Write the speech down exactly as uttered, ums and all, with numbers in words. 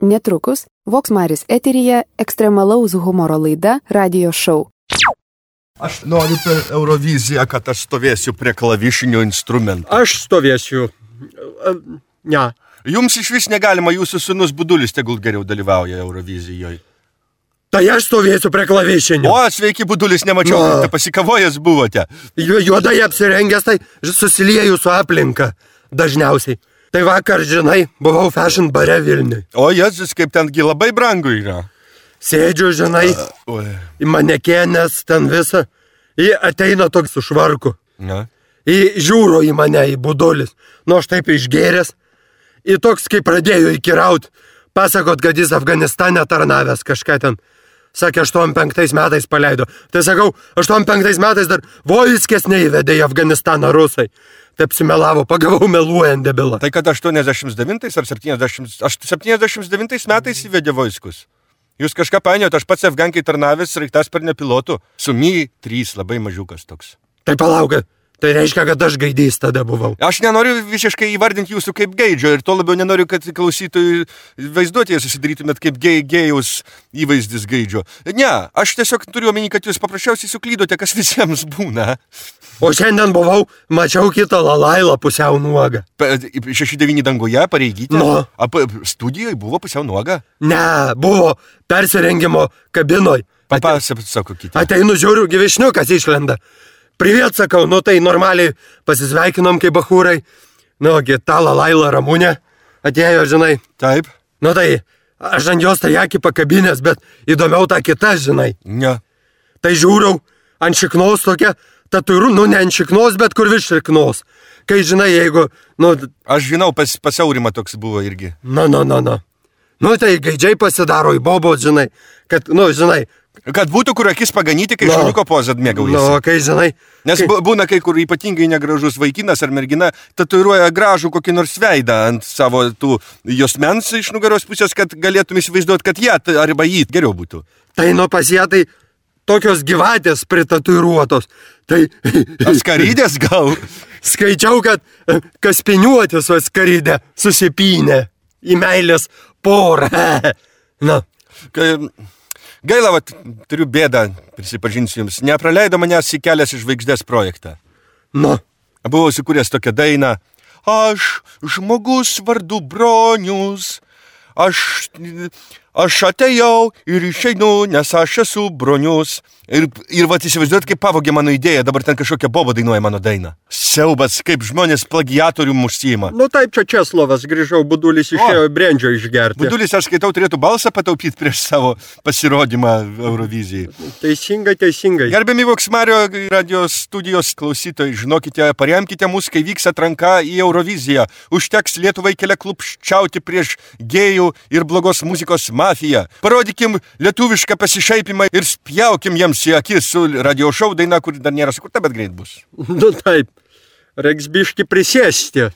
Netrukus Voks Maris eteryje ekstremalaus humoro laida Radio Show. Aš noriu per Euroviziją, kad aš stovėsiu prie klavišinio instrumento. Aš stovėsiu. Ne. Jums iš vis negalima, jūsų sūnus Budulis tegul geriau dalyvauja Eurovizijoje. Tai aš stovėsiu prie klavišinio. O, sveiki, Budulis, nemačiau, kad te pasikavojęs buvote. Juodai apsirengęs, tai susilieju su aplinka dažniausiai. Tai vakar, žinai, buvau fashion bare Vilniui. O, Jėzus, kaip tengi labai brangu yra. Sėdžiu, žinai, uh, į manekėnės ten visą. Į ateina toks su švarku. Na. Į žiūro į mane, į Budulis. Nu, aš taip išgėręs. Į toks, kai pradėjo įkiraut. Pasakot, kad jis Afganistane tarnavęs kažką ten. Sakė, aštuoniasdešimt penktais metais paleido. Tai sakau, aštuoniasdešimt penktais metais dar Voiskės neįvedė į Afganistaną rusai. Taip simelavo, pagavau meluojant debilą. Tai kad aštuoniasdešimt devintais ar septyniasdešimt, septyniasdešimt devintais metais įvedė Voiskus. Jūs kažką painiojot, aš pats Afgankai tarnavęs sraigtasparnio pilotų. Su Mi trys, labai mažiukas toks. Tai palauk, tai reiškia, kad aš gaidys tada buvau. Aš nenoriu visiškai įvardinti jūsų kaip gaidžio ir to labiau nenoriu, kad klausytojų vaizduotėje susidarytumėt kaip gej, gėjaus įvaizdis gaidžio. Ne, aš tiesiog turiu omeny, kad jūs paprasčiausiai suklydote, kas visiems būna. O šiandien buvau, mačiau kitą Lalailą pusiau nuogą. šeši devyni danguje pareigytė? No. Apa, studijoje buvo pusiau nuoga? Ne, buvo persirengimo kabinoj. Papasakokite. Ateinu, žiūriu, gyvišniukas išlenda. Priviet, sakau, nu tai normaliai pasisveikinom kaip bachūrai. Nu, ta Lalaila Ramunė atėjo, žinai. Taip. Nu tai, aš ant jos tai akį pakabinės, bet įdomiau ta kita, žinai. Ne. Tai žiūriau, ant šiknos tokia, tatuiru, nu ne ant šiknos, bet kur virš šiknos. Kai, žinai, jeigu, nu... Aš žinau, pas, pas Aurimą toks buvo irgi. Nu, nu, nu, nu. Nu tai gaidžiai pasidaro į bobos, žinai, kad, nu, žinai... Kad būtų kur akis paganyti, kai no. šuniuko pozą mėgaujasi. Nu, kai žinai. Nes kai... būna kai kur ypatingai negražus vaikinas ar mergina tatuiruoja gražų kokį nors veidą ant savo tų juosmens iš nugaros pusės, kad galėtum įsivaizduoti, kad jie arba jį geriau būtų. Tai nu pas ją tai tokios gyvatės pritatuiruotos. Tai... Skarydės gal? Skaičiau, kad kaspiniuotis o skarydę susipynė į meilės porą. Na. Kai... Gaila, vat, turiu bėdą, prisipažinsiu jums, nepraleido manęs į Kelias į žvaigždės projektą. Nu. Buvau sukūręs tokią dainą. Aš žmogus vardu Bronius, aš, aš atėjau ir išeinu, nes aš esu Bronius. Ir, ir vat įsivaizduot, kaip pavogė mano idėją, dabar ten kažkokia boba dainuoja mano dainą. Siaubas, kaip žmonės plagiatorių užsiima. Nu taip, čia Česlovas, grįžau, Budulis išėjo brendžio išgerti. Budulis, aš skaitau, turėtų balsą pataupyti prieš savo pasirodymą Eurovizijai. Teisingai, teisingai. Gerbiami Voks Mario radio studijos klausytojai, žinokite, paremkite mus, kai vyks atranka į Euroviziją. Užteks Lietuvai kelia klupščiauti prieš gėjų ir blogos muzikos mafiją. Parodykim lietuvišką pasišaipimą ir spjaukim jiems į akis su Radio Show daina, kur dar nėra sukurta, bet greit bus. Nu taip, reiks biški prisėsti.